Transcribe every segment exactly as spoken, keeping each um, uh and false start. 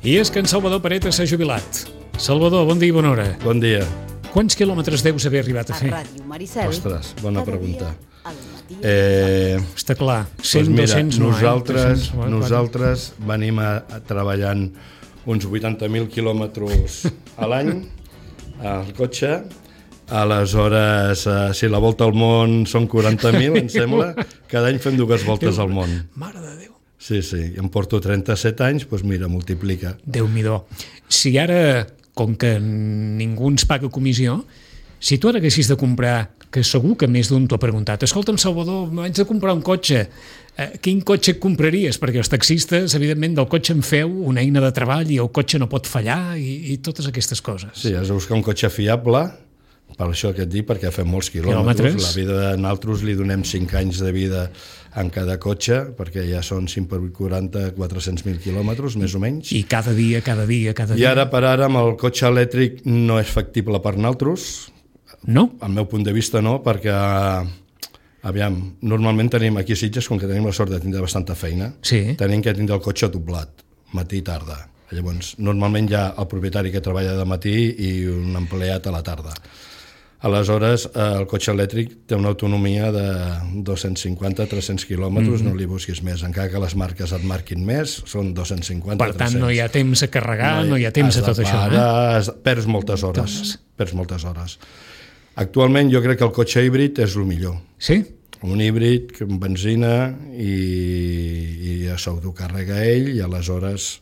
I és que en Salvador Pareta s'ha jubilat. Salvador, bon dia i bona hora. Bon dia. Quants quilòmetres deus haver arribat a fer? A Ràdio Maricel. Ostres, bona pregunta. Eh, Està clar, cent, doncs mira, dos-cents no, nosaltres, eh? dos cents, nosaltres venim a, a treballant uns vuitanta mil quilòmetres a l'any al cotxe. Aleshores, eh, si la volta al món són quaranta mil, em sembla, cada any fem dues voltes al món. Mare de Déu. Sí, sí, em porto trenta-set anys, doncs mira, multiplica. Déu-n'hi-do. Si ara, com que ningú ens paga comissió, si tu ara haguessis de comprar, que segur que més d'un t'ho ha preguntat, escolta'm, Salvador, m'haig de comprar un cotxe, eh, quin cotxe et compraries? Perquè els taxistes, evidentment, del cotxe en feu una eina de treball i el cotxe no pot fallar i, i totes aquestes coses. Sí, has de buscar un cotxe fiable, per això que et dic, perquè fem molts quilòmetres. Quilòmetres. La vida de nosaltres li donem cinc anys de vida en cada cotxe, perquè ja són cinc per vuit, quaranta, quatre-cents mil quilòmetres, més o menys. I cada dia, cada dia, cada I dia. ara per ara amb el cotxe elèctric no és factible per nosaltres. No? Al meu punt de vista no, perquè aviam, normalment tenim aquí a Sitges, com que tenim la sort de tindre bastanta feina, Sí. tenim que tindre el cotxe doblat, matí i tarda. Llavors, normalment hi ha el propietari que treballa de matí i un empleat a la tarda. Aleshores, el cotxe elèctric té una autonomia de dos-cents cinquanta a tres-cents quilòmetres, mm-hmm. no li busquis més. Encara que les marques et marquin més, són dos-cents cinquanta a Per tant, tres-cents. no hi ha temps a carregar, no hi, no hi ha temps a tot això. Parar, eh? Perds moltes hores. Doncs. Perds moltes hores. Actualment jo crec que el cotxe híbrid és el millor. Sí? Un híbrid amb benzina i, i ja s'autocarrega ell i aleshores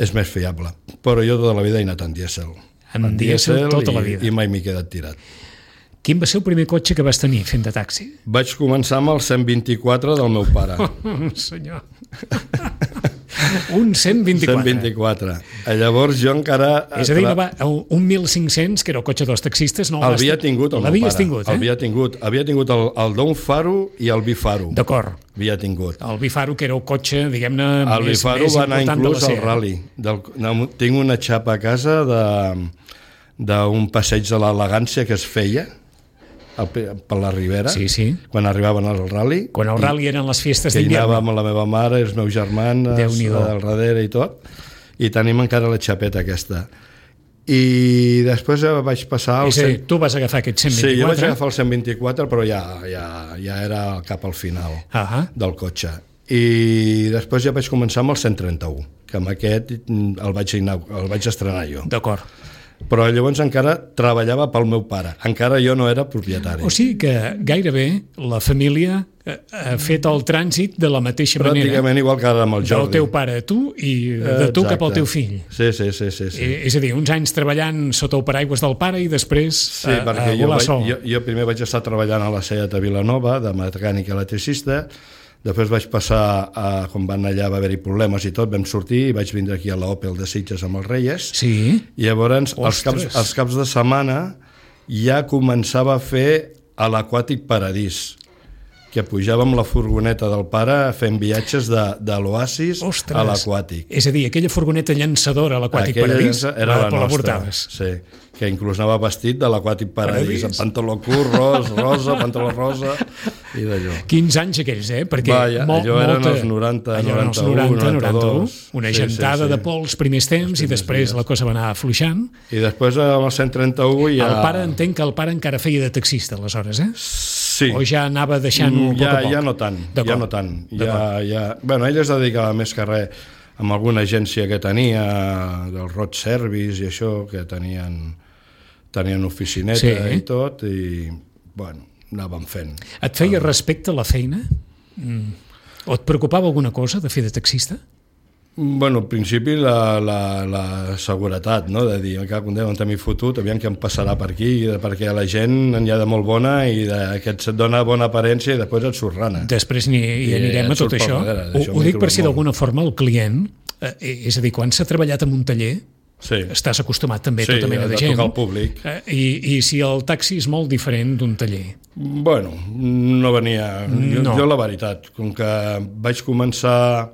és més fiable. Però jo tota la vida he anat en dièsel. En dièsel tota i, la vida. I mai m'he quedat tirat. Quin va ser el primer cotxe que vas tenir fent de taxi? Vaig començar amb el cent vint-i-quatre del meu pare. Oh, senyor. Un cent vint-i-quatre. cent vint-i-quatre. Llavors jo encara... És a dir, no va, un mil cinc-cents, que era el cotxe dels taxistes, no L'havia tingut el meu pare. L'havies tingut, eh? Havia tingut, havia tingut el, el d'un faro i el bifaro. D'acord. Havia tingut. El bifaro, que era el cotxe, diguem-ne, El més, bifaro més va anar important inclús de la al sèrie. rally. Del, no, tinc una xapa a casa de d'un passeig de l'elegància que es feia al, per la Ribera, Sí, sí. quan arribaven al rally. Quan el rally eren les festes que hi d'hivern. anava amb la meva mare, els meus germans, Déu-n'hi-do. al darrere i tot, i tenim encara la xapeta aquesta. I després vaig passar al... És a dir, tu vas agafar aquest cent vint-i-quatre. Sí, jo vaig agafar el cent vint-i-quatre, però ja, ja, ja era cap al final Ah, del cotxe. I després ja vaig començar amb el cent trenta-u, que amb aquest el vaig, el vaig estrenar jo. d'acord. Però llavors encara treballava pel meu pare, encara jo no era propietari. O sigui que gairebé la família ha fet el trànsit de la mateixa manera. Pràcticament igual que ara amb el Jordi. Del teu pare a tu i de tu Exacte. cap al teu fill. Sí, sí, sí. sí, sí. Eh, És a dir, uns anys treballant sota el paraigües del pare i després Sí, a, perquè a jo, volar vaig, sol. jo, jo primer vaig estar treballant a la Seat de Vilanova, de mecànic electricista, després vaig passar, a, quan van allà va haver-hi problemes i tot, vam sortir i vaig vindre aquí a l'Opel de Sitges amb els Reyes, Sí? i llavors els caps, Ostres. els caps de setmana ja començava a fer a l'Aquàtic Paradís, que pujàvem la furgoneta del pare fent viatges de, de l'Oasis Ostres. a l'Aquàtic. És a dir, aquella furgoneta llançadora a l'Aquàtic Aquella Paradís era la, la nostra, portaves. sí, que inclús anava vestit de l'Aquàtic Paradís, Paradís. amb pantaló curt, ros, rosa, pantaló rosa i d'allò. quinze anys aquells, eh? Perquè Vaja, molt, allò eren molta, els noranta, allò eren els noranta-u, noranta, noranta-u, una Sí, gentada sí, sí. de pols primers temps Els i després primers la cosa va anar afluixant. I després amb el cent trenta-u ja... El pare, entenc que el pare encara feia de taxista, aleshores, eh? Sí. O ja anava deixant-ho a Mm, poc ja, a poc? ja no tant, ja D'acord. no tant. Ja, ja... Bueno, ell es dedicava més que res amb alguna agència que tenia, del Road Service i això, que tenien, tenien oficineta Sí. i tot, i bueno, anàvem fent. Et feia respecte a la feina? Mm. O et preocupava alguna cosa de fer de taxista? Bueno, al principi la, la, la seguretat, no? De dir, que un dia on t'hem fotut, aviam què em passarà per aquí, perquè la gent n'hi ha de molt bona i de, que et dona bona aparència i després et surt rana. Després hi, hi I anirem et a tot surt per això. darrere, Ho, això ho m'he dic per trobat si molt. d'alguna forma el client, eh, és a dir, quan s'ha treballat en un taller, Sí, estàs acostumat també a sí, tota mena de de gent. tocar al públic. Eh, i, I si el taxi és molt diferent d'un taller. Bueno, no venia... Jo, No. jo la veritat, com que vaig començar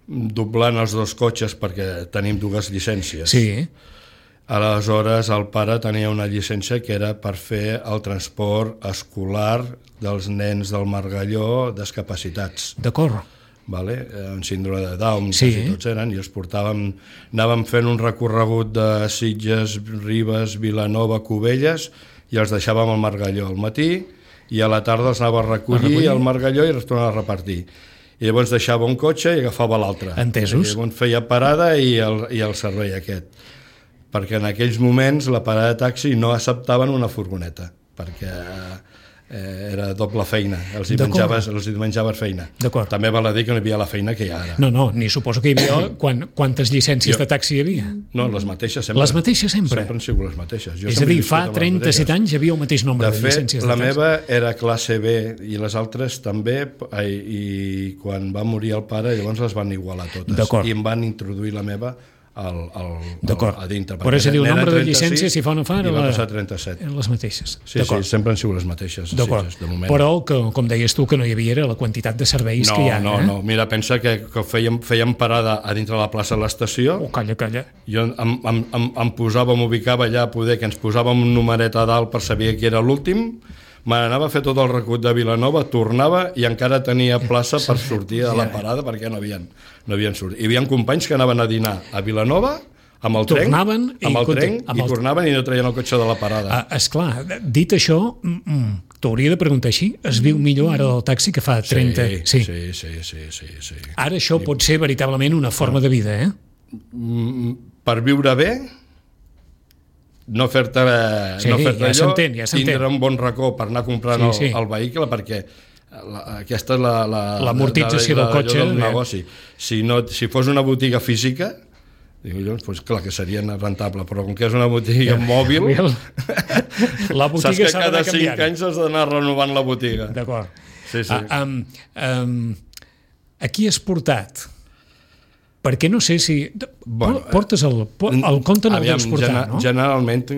doblant els dos cotxes perquè tenim dues llicències. Sí, Aleshores, el pare tenia una llicència que era per fer el transport escolar dels nens del Margalló discapacitats. d'acord. vale? En síndrome de Down, sí. quasi tots eren, i els portàvem, anàvem fent un recorregut de Sitges, Ribes, Vilanova, Cubelles, i els deixàvem al Margalló al matí, i a la tarda els anava a recollir, a recollir? al Margalló i els tornava a repartir. I llavors deixava un cotxe i agafava l'altre. Entesos. I llavors feia parada i el, i el servei aquest. Perquè en aquells moments la parada de taxi no acceptaven una furgoneta, perquè eh, era doble feina, els hi, menjaves, els hi menjaves feina. També val a dir que no hi havia la feina que hi ha ara. No, no, ni suposo que hi havia quan, quantes llicències jo, de taxi hi havia. No, les mateixes sempre. Les mateixes sempre? Sempre han sigut les mateixes. Jo és a dir, fa trenta-set anys hi havia el mateix nombre de, de fet, llicències de taxi. La meva era classe B i les altres també, i, i quan va morir el pare llavors les van igualar totes. I em van introduir la meva al, al, al, a dintre. Però és a dir, el nombre de llicències, si fa o no fa, i va passar trenta-set. Eren les mateixes. Sí, sí, sempre han sigut les mateixes. D'acord. De moment. Però, que, com deies tu, que no hi havia era la quantitat de serveis no, que hi ha. No, eh? no, mira, pensa que, que fèiem, fèiem parada a dintre de la plaça de l'estació. Oh, calla, calla. Jo em, em, em, em posava, m'ubicava allà a poder, que ens posàvem un numeret a dalt per saber qui era l'últim, me n'anava a fer tot el recut de Vilanova, tornava i encara tenia plaça per sortir a la parada perquè no havien, no havien sortit. Hi havia companys que anaven a dinar a Vilanova amb el tren, tornaven i, amb el tren, amb el... i tornaven i no traien el cotxe de la parada. Ah, esclar, dit això, mm, t'hauria de preguntar així, es viu millor ara del taxi que fa trenta... Sí, sí, sí, sí, sí, sí. Ara això pot ser veritablement una forma de vida, eh? Per viure bé, no fer-te sí, no fer-te ja allò, ja tindre un bon racó per anar comprant sí, sí. El, el vehicle, perquè la, aquesta és la, la, l'amortització del cotxe del negoci. Si, no, si fos una botiga física, dic, doncs, doncs, clar que seria rentable, però com que és una botiga ja, mòbil, la botiga saps que cada cinc anys has d'anar renovant la botiga. D'acord. Sí, sí. Uh, um, um, aquí has portat, perquè no sé si... Bueno, portes el, el compte no el deus portar, gener, no? Generalment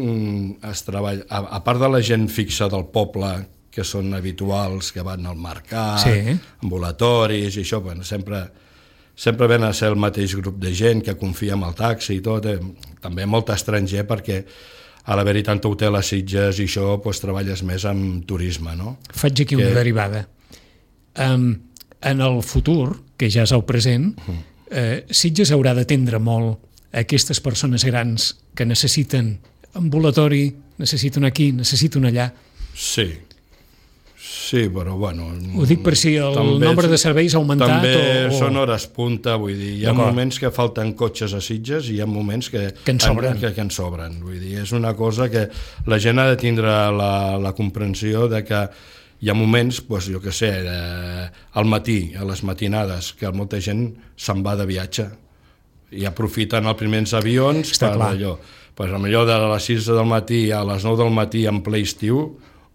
es treballa, a, a part de la gent fixa del poble, que són habituals, que van al mercat, sí. ambulatoris i això, bueno, sempre, sempre ven a ser el mateix grup de gent que confia en el taxi i tot, eh? També molt estranger perquè a l'haver-hi tant hotel a Sitges i això, doncs, treballes més amb turisme, no? Faig aquí que... una derivada. Um, en el futur, que ja és el present, uh-huh. eh, Sitges haurà d'atendre molt a aquestes persones grans que necessiten ambulatori, necessiten aquí, necessiten allà. Sí, sí, però bueno... Ho dic per si el nombre de serveis ha augmentat també o... També són hores punta, vull dir, hi ha moments que falten cotxes a Sitges i hi ha moments que, que en sobren. Que, que en sobren, vull dir, és una cosa que la gent ha de tindre la, la comprensió de que hi ha moments, doncs, jo què sé, eh, al matí, a les matinades, que molta gent se'n va de viatge i aprofiten els primers avions Està per clar. allò. Pues, a millor de les sis del matí a les nou del matí en ple estiu,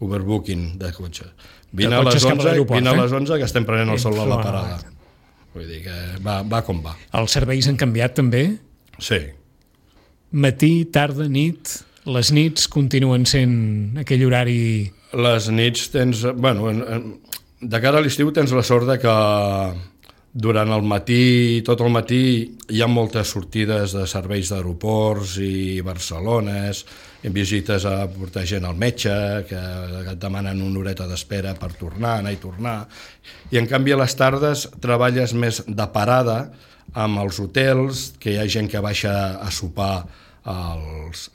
overbooking de cotxes. Vine a les onze, vine a les onze que estem prenent el sol a la parada. Vull dir que va, va com va. Els serveis han canviat també? Sí. Matí, tarda, nit, les nits continuen sent aquell horari... Les nits tens... Bueno, de cara a l'estiu tens la sort de que durant el matí, tot el matí, hi ha moltes sortides de serveis d'aeroports i Barcelones, visites a portar gent al metge, que et demanen una horeta d'espera per tornar, anar i tornar. I en canvi a les tardes treballes més de parada amb els hotels, que hi ha gent que baixa a sopar als...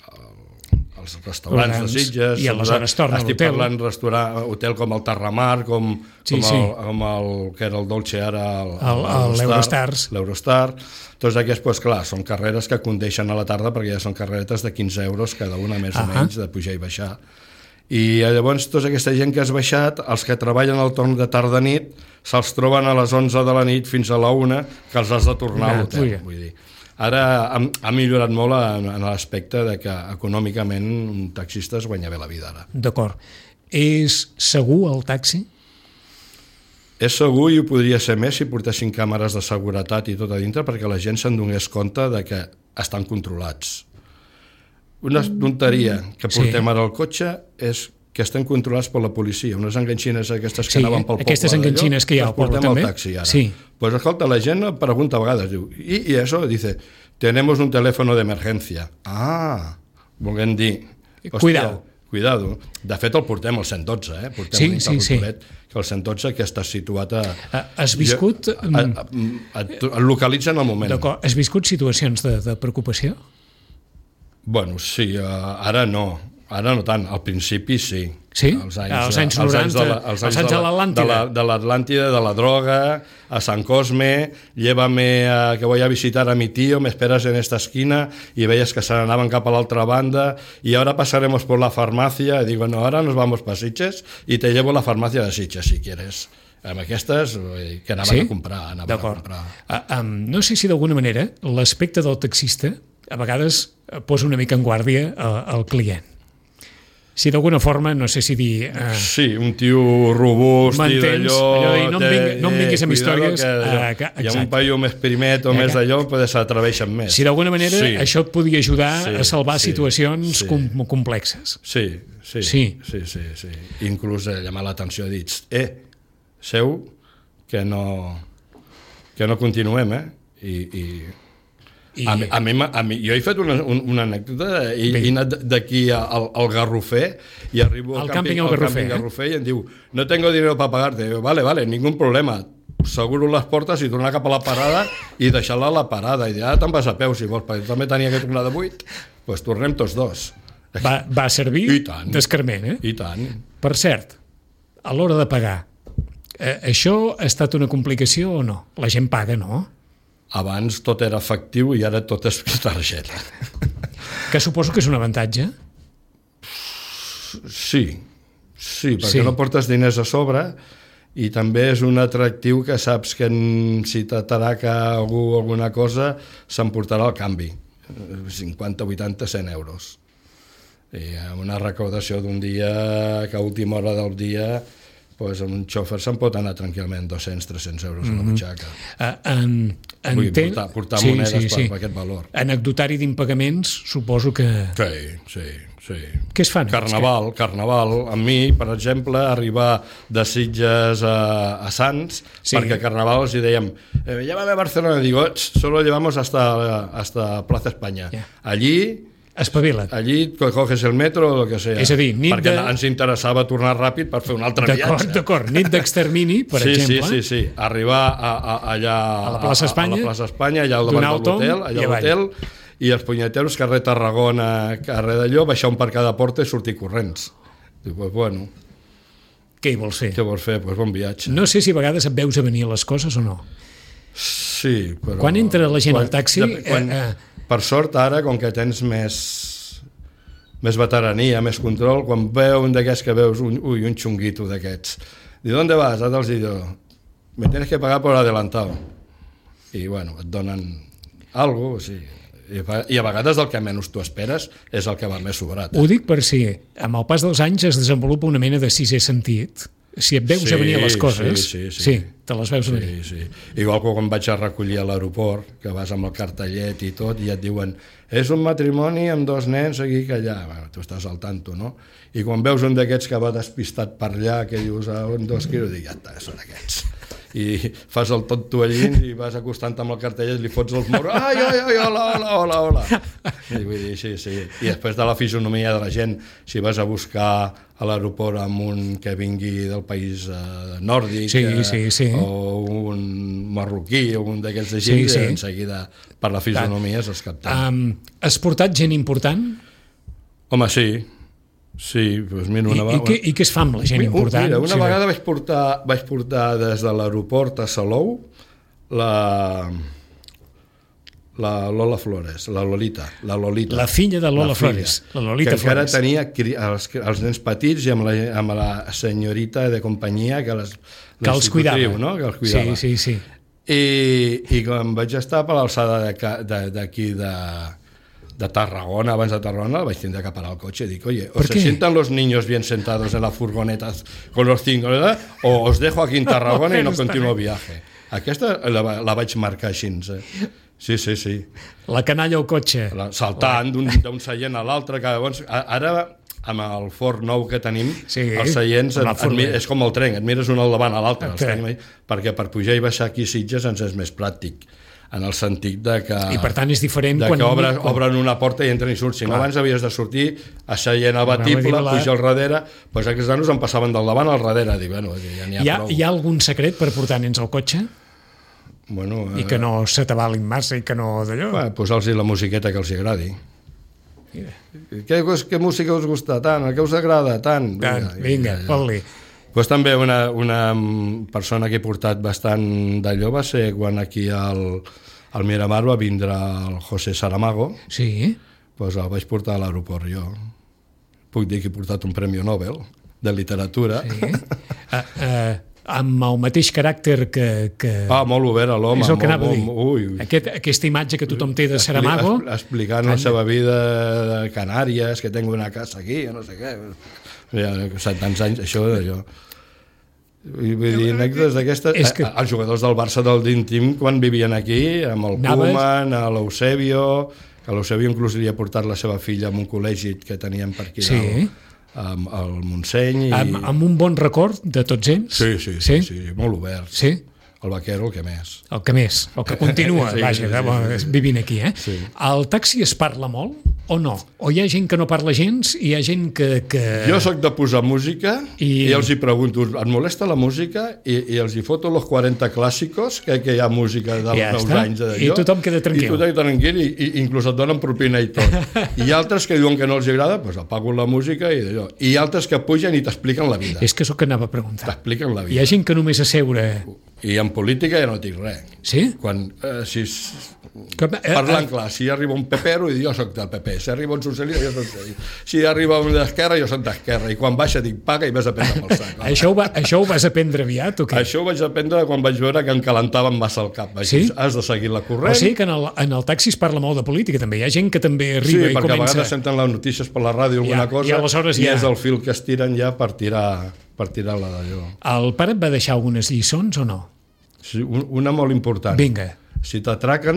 els restaurants de Sitges, i aleshores torna a l'hotel. Estic parlant restaurant, hotel com el Terramar, com, sí, com, sí. El, com el que era el Dolce ara, l'Eurostars. L'Eurostar. Tots aquests, doncs, clar, són carreres que condeixen a la tarda perquè ja són carreretes de quinze euros cada una, més uh -huh. o menys, de pujar i baixar. I llavors tota aquesta gent que has baixat, els que treballen al torn de tarda-nit, se'ls troben a les onze de la nit fins a la una, que els has de tornar a l'hotel, vull dir. Ara ha, ha millorat molt en, en l'aspecte de que econòmicament un taxista es guanya bé la vida ara. D'acord. És segur el taxi? És segur i ho podria ser més si portessin càmeres de seguretat i tot a dintre perquè la gent se'n donés compte de que estan controlats. Una tonteria que portem sí. ara al cotxe és que estem controlats per la policia, unes enganxines aquestes que sí, anaven pel poble. Aquestes enganxines que hi ha al poble també. Al taxi ara. Sí. Pues escolta, la gent pregunta a vegades, diu, i, i això? Dice, tenemos un teléfono de emergencia. Ah, volem dir... Hòstia, cuidao. cuidado. De fet, el portem al cent dotze, eh? Portem sí, un sí, sí. que el cent dotze que està situat a... Has viscut... Jo, a, a, a, et localitza en el moment. D'acord. Has viscut situacions de, de preocupació? Bueno, sí, uh, ara no. Ara no tant, al principi sí. Sí? Els anys, als anys noranta, als anys de l'Atlàntida. De l'Atlàntida, de la droga, a San Cosme, llévame a, que voy a visitar a mi tío, me esperas en esta esquina, y veías que se n'anaven cap a l'altra banda, y ahora pasaremos por la farmacia, y digo, no, ahora nos vamos para Sitges, y te llevo a la farmacia de Sitges, si quieres. Amb aquestes, que anaven sí? a comprar. Anaven a comprar. Uh, um, no sé si d'alguna manera l'aspecte del taxista a vegades posa una mica en guàrdia uh, al client. Si d'alguna forma, no sé si dir... Uh, sí, un tio robust i d'allò... No, no em vinguis amb històries... Que, uh, que, hi ha un paio més primet o uh, més d'allò, pues s'atreveixen més. Si d'alguna manera sí. això et podia ajudar sí, a salvar sí, situacions sí. com, complexes. Sí, sí, sí, sí, sí, sí. Inclús eh, llamar l'atenció, dits, eh, seu, que no, que no continuem, eh? I... i I... A, mi, a, mi, a mi, jo he fet una, una anècdota, he, he anat d'aquí al, al Garrofer i arribo al, al càmping, càmping al Garrofer, eh? Garrofer i em diu, no tengo dinero para pagarte. Digo, vale, vale, ningún problema. Seguro les portes i tornar cap a la parada i deixar-la a la parada. I dir, ara te'n vas a peu, si vols, perquè també tenia que tornar de vuit, doncs tornem tots dos. Va, va servir d'escarment, eh? I tant. Per cert, a l'hora de pagar, eh, això ha estat una complicació o no? La gent paga, no? Abans tot era efectiu i ara tot és targeta. Que suposo que és un avantatge? Sí, sí, perquè sí. no portes diners a sobre i també és un atractiu que saps que si t'ataraca algú alguna cosa s'emportarà el canvi, cinquanta, vuitanta, cent euros. I amb una recaudació d'un dia que a última hora del dia pues un xòfer se'n pot anar tranquil·lament dos-cents, tres-cents euros a la butxaca. Uh, en, Vull dir, portar, portar sí, monedes sí, sí. Per, per aquest valor. Anecdotari d'impagaments, suposo que... Sí, sí, sí. Què es fan? Carnaval, que... carnaval. A mi, per exemple, arribar de Sitges a, a Sants, sí. Perquè Carnaval els dèiem, eh, llévame a Barcelona, digo, solo llevamos hasta, hasta Plaza España. Yeah. Allí... Espavila't. Allí coges el metro o el que sea. És a dir, nit perquè de... ens interessava tornar ràpid per fer un altre d'acord, viatge. D'acord, nit d'extermini, per sí, exemple. Sí, sí, sí. Arribar a, a, allà a la plaça Espanya, a, a la plaça Espanya, allà al davant de l'hotel, allà a l'hotel, i els punyeteros, carrer Tarragona, carrer d'allò, baixar un per cada porta i sortir corrents. Dic, pues bueno... Què hi vols fer? Què vols fer? Pues bon viatge. No sé si a vegades et veus a venir les coses o no. Sí, però... Quan entra la gent quan, al taxi... De, quan, eh, eh... Per sort, ara, com que tens més... més veterania, més control, quan veu un d'aquests que veus un, ui, un xunguito d'aquests. Diu, ¿dónde vas? Ara els diu, me tienes que pagar por adelantado. I, bueno, et donen algo, o sigui, i, i a vegades el que menys tu esperes és el que va més sobrat. Ho dic per si, amb el pas dels anys es desenvolupa una mena de sisè sentit. Si et veus sí, a venir les coses, sí, sí, sí. sí, te les veus sí, a venir. Sí. Igual que quan vaig a recollir a l'aeroport, que vas amb el cartellet i tot, i et diuen, és un matrimoni amb dos nens aquí que allà. Bueno, tu estàs al tanto, no? I quan veus un d'aquests que va despistat per allà, que dius, a un, dos quilos, dic, ja està, són aquests. I fas el tonto allí i vas acostant amb el cartellet, li fots els moros, ai, ai, ai, hola, hola, hola, hola. I vull dir, sí, sí. I després de la fisonomia de la gent, si vas a buscar a l'aeroport amb un que vingui del país eh, nòrdic sí, sí, sí. o un marroquí o un d'aquests de gent, sí, sí. En seguida per la fisonomia se'ls capten. Um, has portat gent important? Home, sí. Sí, doncs mira, una I, i, què, I què es fa amb la gent important? Mira, una sí, vegada vaig portar, vaig portar des de l'aeroport a Salou la, la Lola Flores, la Lolita, la Lolita. La filla de Lola la Flores, la Lolita que encara Flores. tenia els, els nens petits i amb la, amb la senyorita de companyia que les, que els cuidava. No? Que els cuidava. Sí, sí, sí. I, i quan vaig estar per l'alçada d'aquí de, de Tarragona, abans de Tarragona, vaig tindre que parar el cotxe i dic, oye, o se sientan los niños bien sentados en la furgoneta con los cinco, ¿verdad? O os dejo aquí en Tarragona i no continuo viaje. Aquesta la, la vaig marcar així. Eh? Sí, sí, sí. La canalla al cotxe. La, saltant d'un seient a l'altre. Ara, amb el Ford nou que tenim, sí, els seients et, et, és com el tren, et mires un al davant a l'altre, perquè per pujar i baixar aquí a Sitges ens és més pràctic. en el sentit de que... I per tant és diferent de quan... que obres, obren una porta i entren i surten. Si no, abans havies de sortir asseient al batible, pujar al darrere, doncs aquests nanos em passaven del davant al darrere. Dic, bueno, ja n'hi ha, hi ha prou. Hi ha algun secret per portar nens al cotxe? Bueno, I que no se t'avalin massa i que no d'allò? Bueno, posar-los la musiqueta que els agradi. Mira. Què, què música us gusta tant? El que us agrada tant? Tant, vinga, fot-li. Pues també una, una persona que he portat bastant d'allò va ser quan aquí al, al Miramar va vindre el José Saramago. Sí. Pues el vaig portar a l'aeroport jo. Puc dir que he portat un Premi Nobel de literatura. Sí. uh, uh, amb el mateix caràcter que... que... Ah, molt obert a l'home. És el que anava a dir. Ui. Aquest, aquesta imatge que tothom té de Saramago... Explicant la seva vida de Canàries, que tengo una casa aquí, no sé què... Ja, tants anys, això d'allò. Vull dir, anècdotes d'aquestes... Que... Els jugadors del Barça del Dream Team, quan vivien aquí, amb el Anaves... Koeman, a l'Eusebio, que l'Eusebio inclús li havia portat la seva filla a un col·legi que teníem per aquí sí. dalt, amb el Montseny. I... Amb, amb un bon record de tots ells? Sí, sí, sí, sí, sí molt obert. Sí? El vaquero, el que més. El que més, el que continua, sí, vaja, sí, sí, sí. vivint aquí. Eh? Sí. Al taxi es parla molt o no? O hi ha gent que no parla gens i hi ha gent que... que... Jo sóc de posar música i, i els hi pregunto, et molesta la música? I, i els hi foto los quaranta clàssicos, que, que hi ha música dels ja meus anys d'allò. I tothom queda tranquil. I tothom queda tranquil i, i inclús et donen propina i tot. I altres que diuen que no els agrada, doncs apago la música i d'allò. I altres que pugen i t'expliquen la vida. És que és el que anava a preguntar. T'expliquen la vida. Hi ha gent que només asseure... I en política ja no dic res. Sí? Quan, eh, si, Com, eh, parlant eh, clar, si arriba un pepero, i jo soc del P P. Si arriba un socialista, jo soc socialista. Si arriba un d'esquerra, jo soc d'esquerra. I quan baixa dic paga i vas a prendre pel sac. Això ho, va, això ho vas aprendre aviat o què? Això ho vaig aprendre quan vaig veure que em calentaven massa el cap. Vaig sí? dir, has de seguir la corrent. O sigui que en el, en el taxi es parla molt de política també. Hi ha gent que també arriba sí, i comença... Sí, perquè a vegades senten les notícies per la ràdio alguna ja, cosa i, aleshores i ja... és el fil que es tiren ja per tirar, per tirar la d'allò. El pare et va deixar algunes lliçons o no? Sí, una molt important. Vinga. Si t'atraquen,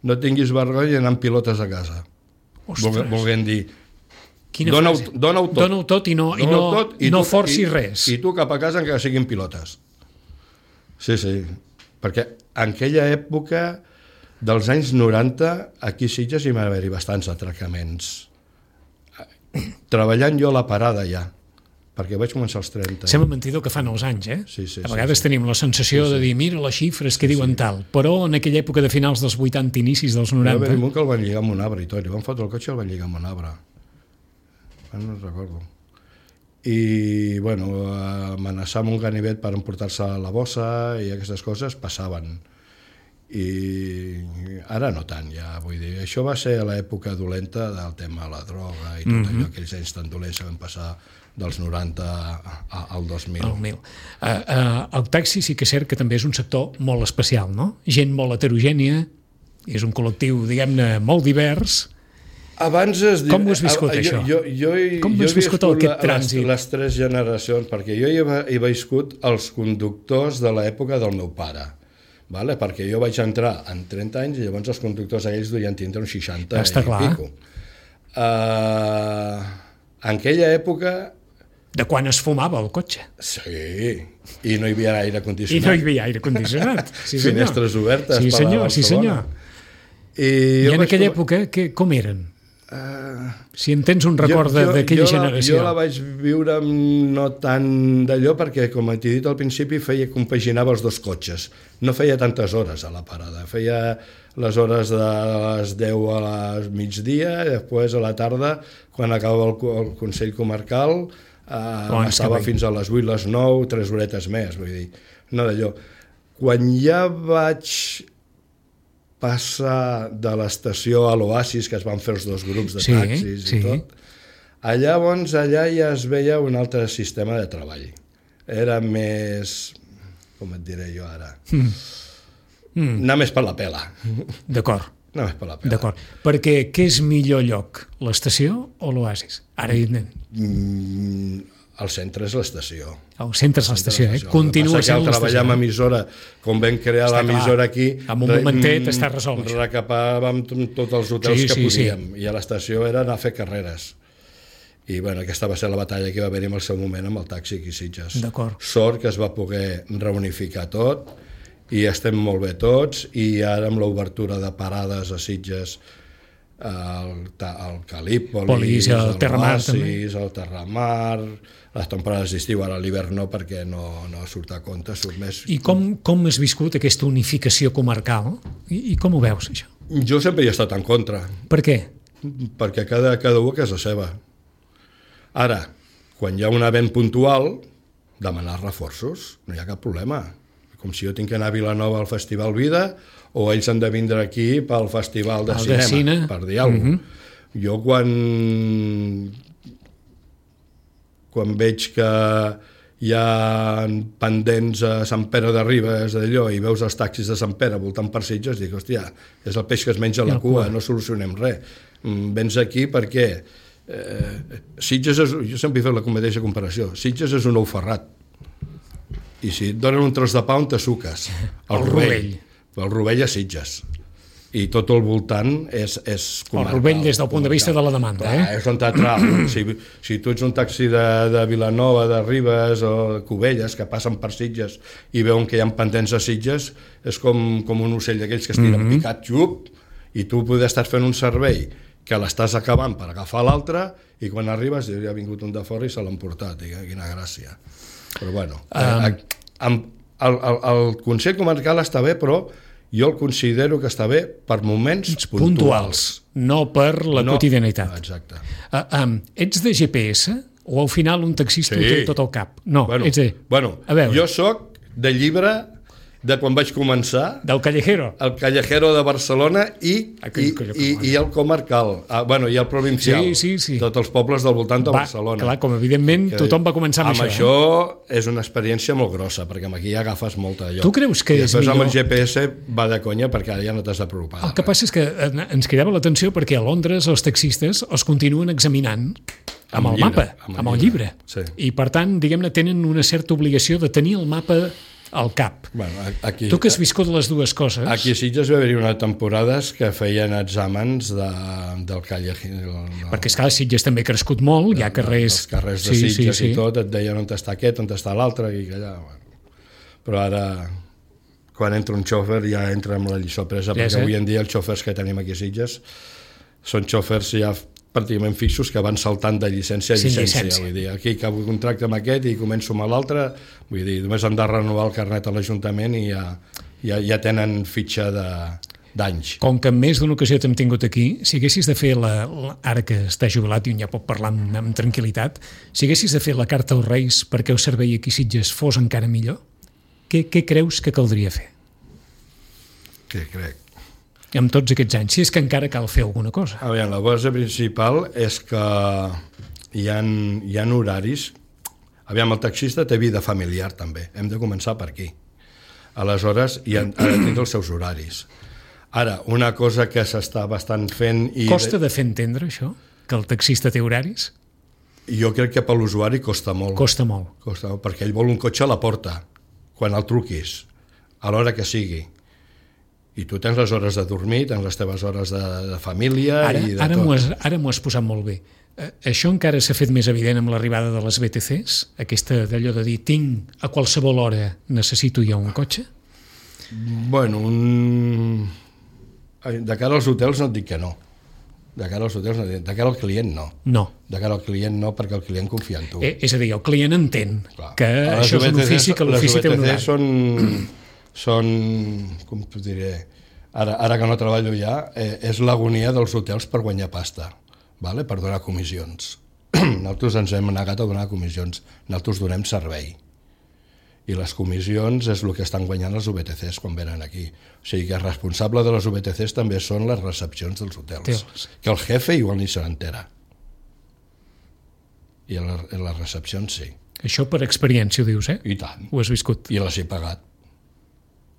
no tinguis vergonya d'anar amb pilotes a casa. Ostres. Volguem dir, dona-ho dona tot. Dona tot i no, i no, tot, i no tu, forcis i, res. I tu cap a casa encara siguin pilotes. Sí, sí. Perquè en aquella època dels anys noranta, aquí a Sitges hi va haver-hi bastants atracaments. Treballant jo a la parada ja, perquè vaig començar als trenta. Sembla mentidor que fan els anys, eh? Sí, sí, a vegades sí, sí. tenim la sensació sí, sí. de dir, mira les xifres que diuen sí. tal, però en aquella època de finals dels vuitanta, inicis dels noranta... Va haver-hi un que el van lligar amb un arbre i tot, li van fotre el cotxe i el van lligar amb un arbre. No recordo. I, bueno, amenaçar amb un ganivet per emportar-se a la bossa i aquestes coses passaven. I ara no tant, ja, vull dir, això va ser a l'època dolenta del tema de la droga i tot mm-hmm. allò, aquells anys tan dolents que van passar dels noranta al dos mil. El mil. Uh, uh, el taxi sí que és cert que també és un sector molt especial, no? Gent molt heterogènia, és un col·lectiu, diguem-ne, molt divers. Abans es diu... Com ho has viscut, jo, això? Jo, jo, jo, Com ho has viscut aquest trànsit? Les, les tres generacions, perquè jo hi he, he viscut els conductors de l'època del meu pare. Vale? Perquè jo vaig entrar en trenta anys i llavors els conductors aquells duien tindre uns seixanta Està i clar. pico. Uh, en aquella època... De quan es fumava el cotxe. Sí, i no hi havia aire condicionat. I no hi havia aire condicionat. Sí, finestres obertes. Sí, senyor, sí, senyor. I, I en aquella època, que, com eren? Uh, si en tens un record d'aquella generació. Jo la vaig viure no tant d'allò perquè, com t'he dit al principi, feia compaginava els dos cotxes. No feia tantes hores a la parada. Feia les hores de les deu a les migdia i després a la tarda, quan acabava el, el Consell Comarcal, uh, estava fins a les vuit, les nou, tres horetes més. Vull dir, no d'allò. Quan ja vaig... passar de l'estació a l'Oasis, que es van fer els dos grups de sí, taxis sí. i tot, allà, doncs, allà ja es veia un altre sistema de treball. Era més... com et diré jo ara? Mm. Mm. Anar més per la pela. D'acord. Anar més per la pela. D'acord. Perquè què és millor lloc, l'estació o l'Oasis? Ara, evidentment. Mm, el centre és l'estació. El centre és l'estació, eh? Continua sent l'estació. Treballar amb emissora, com vam crear l'emissora aquí... En un momentet està resolt. Recapàvem tots els hotels sí, que sí, podíem. Sí. I a l'estació era anar a fer carreres. I bueno, aquesta va ser la batalla que va haver-hi en el seu moment amb el taxi aquí a Sitges. D'acord. Sort que es va poder reunificar tot i estem molt bé tots, i ara amb l'obertura de parades a Sitges, el, el Calípolis, el, el Terramar, Oasis, el Terramar, les temporades d'estiu, ara l'hivern no, perquè no, no surt a compte, surt més... I com, com has viscut aquesta unificació comarcal? I, i com ho veus, això? Jo sempre hi he estat en contra. Per què? Perquè cada, cada un a casa seva. Ara, quan hi ha un event puntual, demanar reforços, no hi ha cap problema. Com si jo tinc que anar a Vilanova al Festival Vida, o ells han de vindre aquí pel Festival de el Cinema, de cine. Per dir alguna cosa. Uh-huh. Jo quan, quan veig que hi ha pendents a Sant Pere de Ribes, d'allò, i veus els taxis de Sant Pere voltant per Sitges, dic, hòstia, és el peix que es menja la cua, no solucionem res. Vens aquí perquè eh, Sitges és, jo sempre he fet la mateixa comparació, Sitges és un ou ferrat, i si et donen un tros de pa on te suques, el, el rovell. rovell. El rovell a Sitges. I tot el voltant és, és comarcal. El rovell des del punt de vista de la demanda. Clar, eh? És on t'atrau. Si, si tu ets un taxi de, de Vilanova, de Ribes o de Cubelles, que passen per Sitges i veuen que hi ha pendents a Sitges, és com, com un ocell d'aquells que es tiren mm-hmm. picat, xup, i tu podes estar fent un servei que l'estàs acabant per agafar l'altre, i quan arribes ja ha vingut un de fora i se l'han portat. I quina gràcia. Però bueno, um... el, el, el, el Consell Comarcal està bé, però jo el considero que està bé per moments puntuals. puntuals no per la no, quotidianitat. Exacte. Uh, um, ets de G P S o al final un taxista sí. ho té tot al cap? No, bueno, ets de... Bueno, jo sóc de llibre de quan vaig començar... Del Callejero. El Callejero de Barcelona i, i, i, i el comarcal, ah, bueno, i el provincial. Sí, sí, sí. Tots els pobles del voltant de va, Barcelona. Clar, com evidentment que, tothom va començar amb, amb això. Amb això eh? és una experiència molt grossa, perquè amb aquí ja agafes molta allò. Tu creus que I és millor... amb el G P S va de conya perquè ara ja no t'has de preocupar. El que passa és que ens cridava l'atenció perquè a Londres els taxistes els continuen examinant amb, amb el llibre, mapa, amb el, amb el llibre. llibre. Sí. I per tant, diguem-ne, tenen una certa obligació de tenir el mapa al cap. Bueno, aquí, tu que has viscut les dues coses... Aquí a Sitges va haver-hi unes temporades que feien exàmens de, del Callejero. No. Perquè, esclar, Sitges també ha crescut molt, hi ha carrers... Els carrers de sí, Sitges sí, sí. i tot, et deien on està aquest, on està l'altre, i allà... Bueno. Però ara, quan entra un xòfer, ja entra amb la lliçó presa, perquè ja avui en dia els xòfers que tenim aquí a Sitges són xòfers ja pràcticament fixos que van saltant de llicència a llicència. llicència. Vull dir, aquí acabo contracte amb aquest i començo amb l'altre, vull dir, només han de renovar el carnet a l'Ajuntament i ja, ja, ja tenen fitxa d'anys. Com que en més d'una ocasió t'hem tingut aquí, si haguessis de fer, la, la, ara que està jubilat i un ja pot parlar amb, amb tranquil·litat, si haguessis de fer la carta als Reis perquè el servei aquí a Sitges fos encara millor, què, què creus que caldria fer? Què crec? Amb tots aquests anys, si és que encara cal fer alguna cosa. A veure, la base principal és que hi ha, hi ha horaris. Aviam, el taxista té vida familiar també, hem de començar per aquí. Aleshores, hi ha, ha de tindre els seus horaris. Ara, una cosa que s'està bastant fent... I costa de fer entendre això, que el taxista té horaris? Jo crec que per l'usuari costa molt. Costa molt. Costa molt, perquè ell vol un cotxe a la porta, quan el truquis, a l'hora que sigui. I tu tens les hores de dormir, tens les teves hores de, de família ara, i de ara tot. M'ho has, ara m'ho has posat molt bé. Eh, això encara s'ha fet més evident amb l'arribada de les B T Cs? Aquesta d'allò de dir, tinc a qualsevol hora, necessito jo un cotxe? Bueno, un... de cara als hotels no et dic que no. De cara als hotels no et dic, de cara al client no. No. De cara al client no, perquè el client confia en tu. Eh, és a dir, el client entén Clar. que les això és un ofici, que l'ofici té un horari. Les B T Cs són... són, com t'ho diré, ara, ara que no treballo ja, eh, és l'agonia dels hotels per guanyar pasta, vale? Per donar comissions. Nosaltres ens hem negat a donar comissions, nosaltres donem servei. I les comissions és el que estan guanyant els U B T Cs quan venen aquí. O sigui que el responsable de les U B T Cs també són les recepcions dels hotels. Teus. Que el jefe igual ni se n'entera. I a les la recepcions sí. Això per experiència ho dius, eh? I tant. Ho has viscut. I les he pagat.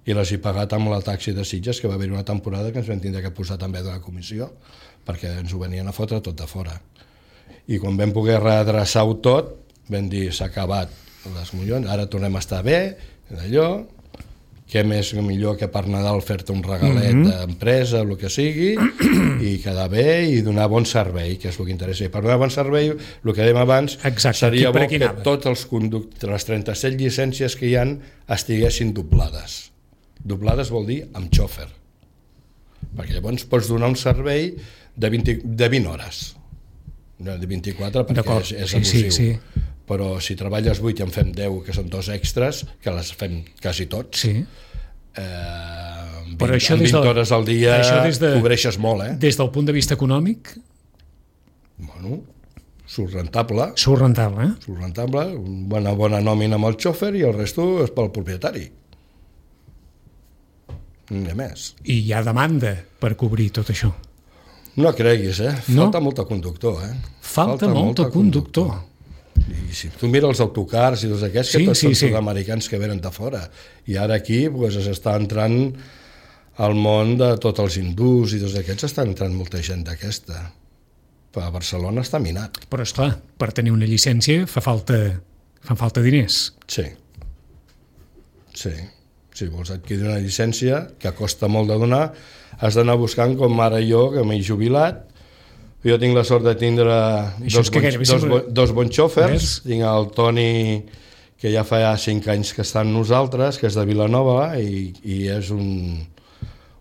I les he pagat amb el taxi de Sitges, que va haver una temporada que ens vam tindre que posar també de la comissió, perquè ens ho venien a fotre tot de fora. I quan vam poder redreçar-ho tot, vam dir, s'ha acabat les collons, ara tornem a estar bé, d'allò, què més millor que per Nadal fer-te un regalet mm-hmm. d'empresa, el que sigui, i quedar bé i donar bon servei, que és el que interessa. I per donar bon servei, el que dèiem abans, Exacte. seria bo que anava? tots els conductors, les trenta-set llicències que hi ha, estiguessin doblades. Doblades vol dir amb xòfer. Perquè llavors pots donar un servei de, vint, de vint hores. No, de vint-i-quatre perquè és, és abusiu. Sí, sí. Però si treballes vuit i en fem deu, que són dos extras, que les fem quasi tots, sí. eh, vint, Però això amb vint del, hores al dia de, cobreixes molt. Eh? Des del punt de vista econòmic? Bueno, surt rentable. Surt rentable, eh? Surt rentable, una bona nòmina amb el xòfer i el resto és pel propietari. Ni més. I hi ha demanda per cobrir tot això? No creguis, eh? Falta no? molt de conductor, eh? Falta, Falta molt de conductor. conductor. I si tu mires els autocars i tots aquests, sí, que tots sí, són sí. sud-americans que venen de fora. I ara aquí pues, s'està entrant al món de tots els hindús i tots aquests, està entrant molta gent d'aquesta. A Barcelona està minat. Però, esclar, per tenir una llicència fa falta, fan falta diners. Sí. Sí. Si vols adquirir una llicència, que costa molt de donar, has d'anar buscant, com ara jo, que m'he jubilat. Jo tinc la sort de tindre dos, que bons, dos, bo, dos bons xòfers. Tinc el Toni, que ja fa cinc anys que està amb nosaltres, que és de Vilanova, i, i és un,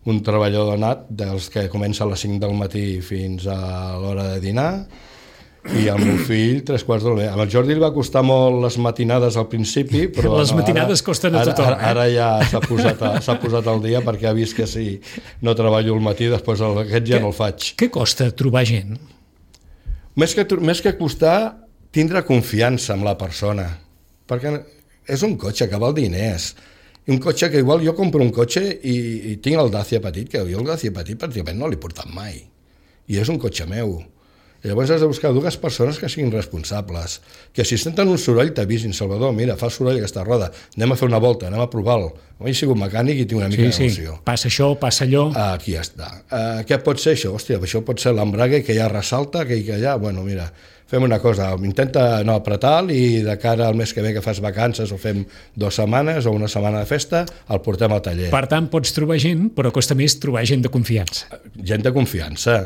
un treballador nat, dels que comença a les cinc del matí fins a l'hora de dinar, i el meu fill tres quarts d'hora. Amb el Jordi li va costar molt les matinades al principi, però les matinades ara, costen a tothom. Ara, ara, ara ja s'ha posat, a, s'ha posat al dia perquè ha vist que si no treballo al matí, després el, aquest ja que, no el faig. Què costa trobar gent? Més que, més que costar, tindre confiança en la persona. Perquè és un cotxe que val diners. Un cotxe que igual jo compro un cotxe i, i tinc el Dacia petit, que jo el Dacia petit pràcticament no l'he portat mai. I és un cotxe meu. I llavors has de buscar dues persones que siguin responsables, que si senten un soroll t'avisin, Salvador, mira, fa soroll aquesta roda, anem a fer una volta, anem a provar-lo. Jo he sigut mecànic i tinc una mica sí, d'emoció. Sí. Passa això, passa allò... Aquí ja està. Uh, què pot ser això? Hòstia, això pot ser l'embrague que ja ressalta, que, que ja... Bueno, mira, fem una cosa, intenta no apretar i de cara al mes que ve que fas vacances o fem dues setmanes o una setmana de festa, el portem al taller. Per tant, pots trobar gent, però costa més trobar gent de confiança. Gent de confiança.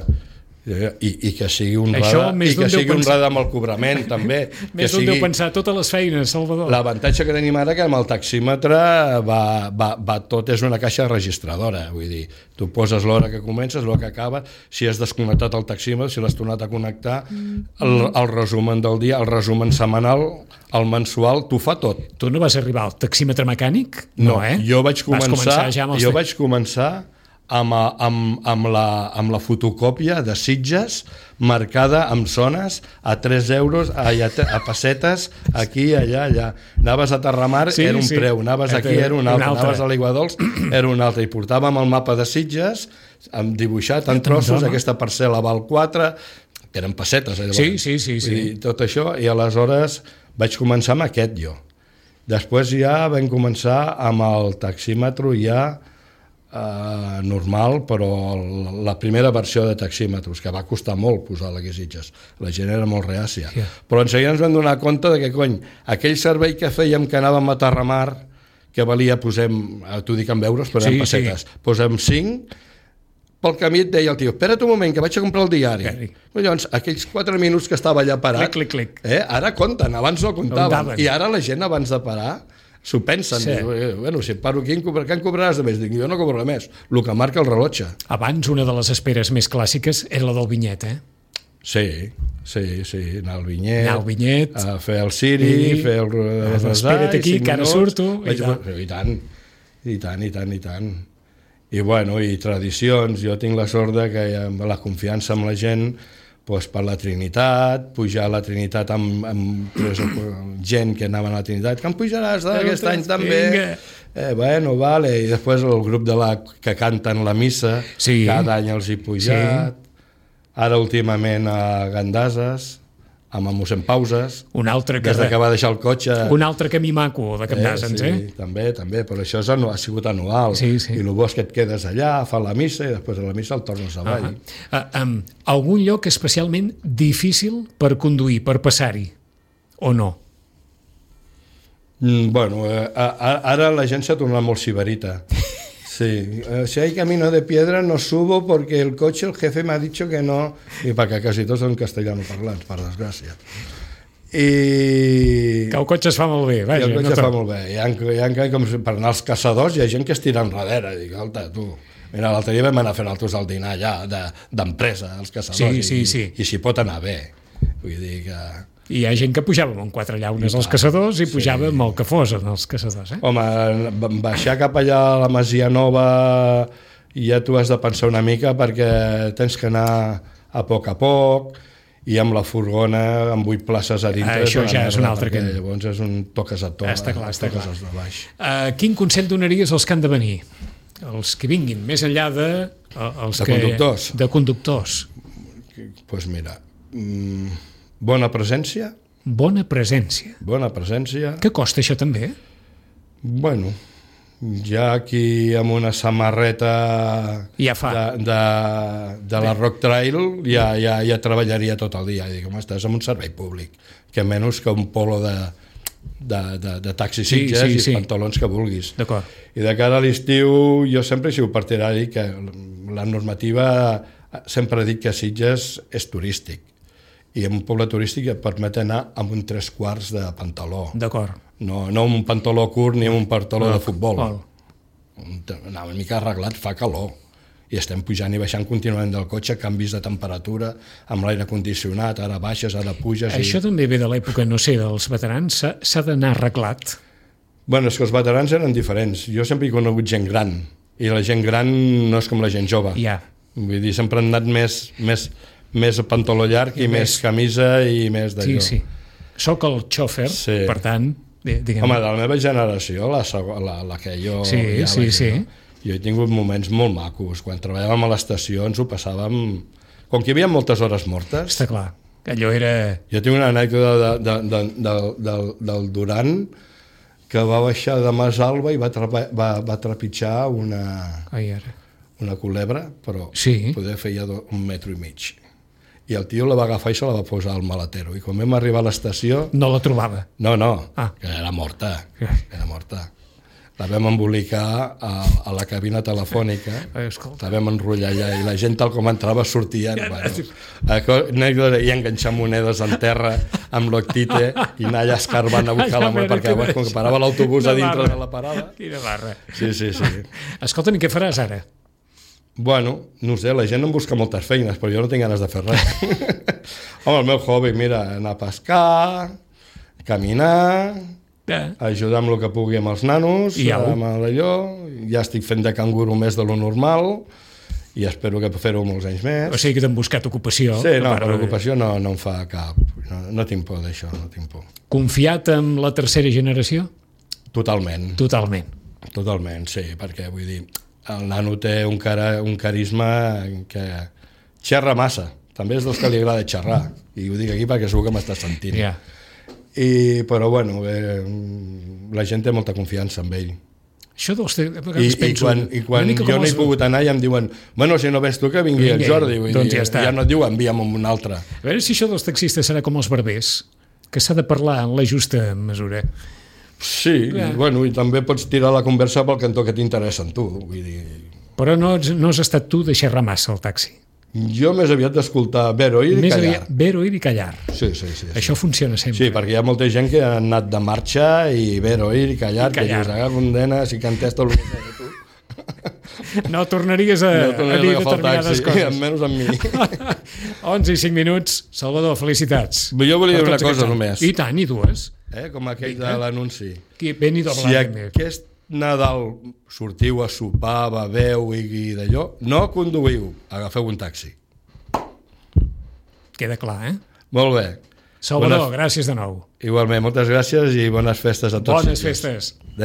I, i que sigui un rada, i que sigui un rada amb el cobrament també. Més d'un deu pensar totes les feines, Salvador. L'avantatge que tenim ara que amb el taxímetre va, va, va tot és una caixa registradora, vull dir, tu poses l'hora que comences, l'hora que acaba, si has desconnectat el taxímetre, si l'has tornat a connectar, el, el resumen del dia, el resumen setmanal, el mensual, t'ho fa tot. Tu no vas arribar al taxímetre mecànic? No, no eh? Jo vaig començar, ja jo vaig començar Amb, amb, amb, la, amb la fotocòpia de Sitges marcada amb zones a tres euros, a, a pessetes, aquí, allà, allà. Anaves a Terramar, sí, era un sí. preu, anaves aquí, era un altre, anaves a l'Aiguadols, era un altre, i portàvem el mapa de Sitges, amb dibuixat en trossos, no, aquesta parcel·la val quatre, que eren pessetes, eh, sí, sí, sí, sí. I tot això, i aleshores vaig començar amb aquest jo. Després ja vam començar amb el taxímetre ja Uh, normal, però la primera versió de taxímetres, que va costar molt posar-la aquí a Sitges, la gent era molt reàcia, yeah. Però en seguida ens vam donar compte de que, cony, aquell servei que fèiem que anàvem a Terramar, que valia, posem, t'ho dic en euros, però sí, en pessetes, sí. Posem cinc, pel camí et deia el tio, espera't un moment, que vaig a comprar el diari. Okay. Llavors, aquells quatre minuts que estava allà parat, clic, clic, clic. Eh, ara compten, abans no comptaven, i ara la gent abans de parar s'ho pensen, sí. Diu, bueno, si paro aquí, què en cobraràs de més? Dic, jo no cobro més, el que marca el rellotge. Abans, una de les esperes més clàssiques era la del vinyet, eh? Sí, sí, sí, anar al vinyet, anar al vinyet a fer el ciri, i... fer el resar, espera't aquí, que ara surto. I, i, i tant, i tant, i tant, i tant. I bueno, i tradicions, jo tinc la sort de que amb la confiança amb la gent, doncs per la Trinitat, pujar a la Trinitat amb, amb tres, gent que anaven a la Trinitat, que em pujaràs aquest any també. Eh, bueno, vale. I després el grup de la que canten la missa, sí. Cada any els he pujat. Sí. Ara últimament a Gandases, amb el mossèn Pauses, un altre que, des de que va deixar el cotxe. Un altre camí maco de Gandases, eh? Sí, eh? també, també, però això és, ha sigut anual. Sí, sí. I el bo és que et quedes allà, fa la missa i després de la missa el tornes avall. Uh, um, algun lloc especialment difícil per conduir, per passar-hi, o no? Mm, bueno, eh, ara la gent s'ha tornat molt sibarita. Sí, si hay camino de piedra no subo porque el coche, el jefe me ha dicho que no, y para que casi todos son castellano parlants, per desgràcia. I... Que el cotxe es fa molt bé, vaja. I el cotxe no fa molt bé. Hi ha, hi ha, com per anar als caçadors, hi ha gent que es tira enrere. Dic, alta, tu... Mira, l'altre dia vam anar a fer nosaltres el dinar allà, d'empresa, de, als caçadors, sí, sí, i, sí. i, i s'hi pot anar bé. Vull dir que... I hi ha gent que pujava amb quatre llaunes als caçadors i pujava sí. amb el que fos en els caçadors. Eh? Home, baixar cap allà a la Masia Nova ja tu has de pensar una mica perquè tens que anar a poc a poc i amb la furgona amb vuit places a dintre. Ah, això ja és un altre que... Llavors és un toques a to. Està clar, està clar. Baix. Uh, quin consell donaries als que han de venir? Els que vinguin, més enllà de... Els de que... conductors? De conductors. Doncs pues mira, mmm, bona presència. Bona presència. Bona presència. Què costa això també? Bueno, ja aquí amb una samarreta ja fa. de, de, de la Rock Trail ja, ja, ja treballaria tot el dia. Dic, home, estàs en un servei públic, que menys que un polo de, de, de, de taxi Sitges sí, sí, i sí. pantalons que vulguis. D'acord. I de cara a l'estiu jo sempre he sigut partidari que la normativa sempre ha dit que Sitges és turístic i en un poble turístic et permet anar amb un tres quarts de pantaló. D'acord. No, no amb un pantaló curt ni amb un pantaló no, de futbol. Val. Anar una mica arreglat, fa calor. I estem pujant i baixant contínuament del cotxe, canvis de temperatura, amb l'aire condicionat, ara baixes, ara puges... Això i... també ve de l'època, no sé, dels veterans, s'ha d'anar arreglat. Bueno, és que els veterans eren diferents. Jo sempre he conegut gent gran, i la gent gran no és com la gent jove. Ja. Vull dir, sempre han anat més, més, més pantaló llarg i, i més, més camisa i més d'allò. Sí, sí. Soc el xòfer, sí. Per tant... Diguem... Home, de la meva generació, la, la, la que jo... Sí, ja sí, sí. Jo he tingut moments molt macos. Quan treballàvem a l'estació ens ho passàvem... Com que hi havia moltes hores mortes... Està clar, allò era... Jo tinc una anècdota de, de, de, de, de, del Duran que va baixar de Masalba i va, trapa, va, va trepitjar una, Ai, ara. una culebra, però sí. poder feia un metro i mig. I el tio la va agafar i se la va posar al maletero. I quan vam arribar a l'estació... No la trobava? No, no, ah. que era morta. Era morta. La vam embolicar a, a la cabina telefònica, Ai, la vam enrotllar allà i la gent tal com entrava sortien. Bueno, i enganxar monedes en terra amb l'octite i anar allà escarbant a buscar la moneda, perquè llavors, com que parava l'autobús a dintre de la parada... Quina barra. Sí, sí, sí. Escolta'm, i què faràs ara? Bueno, no sé, la gent em busca moltes feines, però jo no tinc ganes de fer res. Home, el meu hobby, mira, anar a pescar, caminar, yeah. ajudar amb el que pugui amb els nanos, I amb allò, ja estic fent de canguro més de lo normal i espero que fer-ho molts anys més. O sigui que t'han buscat ocupació. Sí, no, però l'ocupació no, no em fa cap... No, no tinc por d'això, no tinc por. Confiat en la tercera generació? Totalment. Totalment. Totalment, sí, perquè vull dir... El nano té un, cara, un carisma que xerra massa. També és dels que li agrada xerrar. I ho dic aquí perquè segur que m'estàs sentint. Yeah. I, però, bueno, eh, la gent té molta confiança en ell. Això dels... I, penso, i quan, i quan jo no he els... pogut anar ja em diuen bueno, si no vens tu que vingui el Jordi. Vull doncs dir, ja està. Ja no et diu envia'm amb un altre. A veure si això dels taxistes serà com els barbers, que s'ha de parlar en la justa mesura. Sí, i, bueno, i també pots tirar la conversa pel cantó que t'interessa en tu. Vull dir... Però no, no has estat tu de xerrar massa al taxi. Jo més aviat d'escoltar ver, oir i més callar. Aviat, ver, oir i callar. Sí, sí, sí. Això sí. funciona sempre. Sí, perquè hi ha molta gent que ha anat de marxa i ver, oir i callar, I callar. Que dius, aga, condena, si cantes tot el que fas tu. No tornaries a, no tornaries a dir a determinades taxi, coses. Almenys amb mi. onze i cinc minuts. Salvador, felicitats. Jo volia dir una cosa només. I tant, i dues. Eh, com aquell de l'anunci. Ben i si aquest Nadal sortiu a sopar, beveu i, i d'allò, no conduïu, agafeu un taxi. Queda clar, eh? Molt bé. Salvador, bones... gràcies de nou. Igualment, moltes gràcies i bones festes a tots. Bones festes.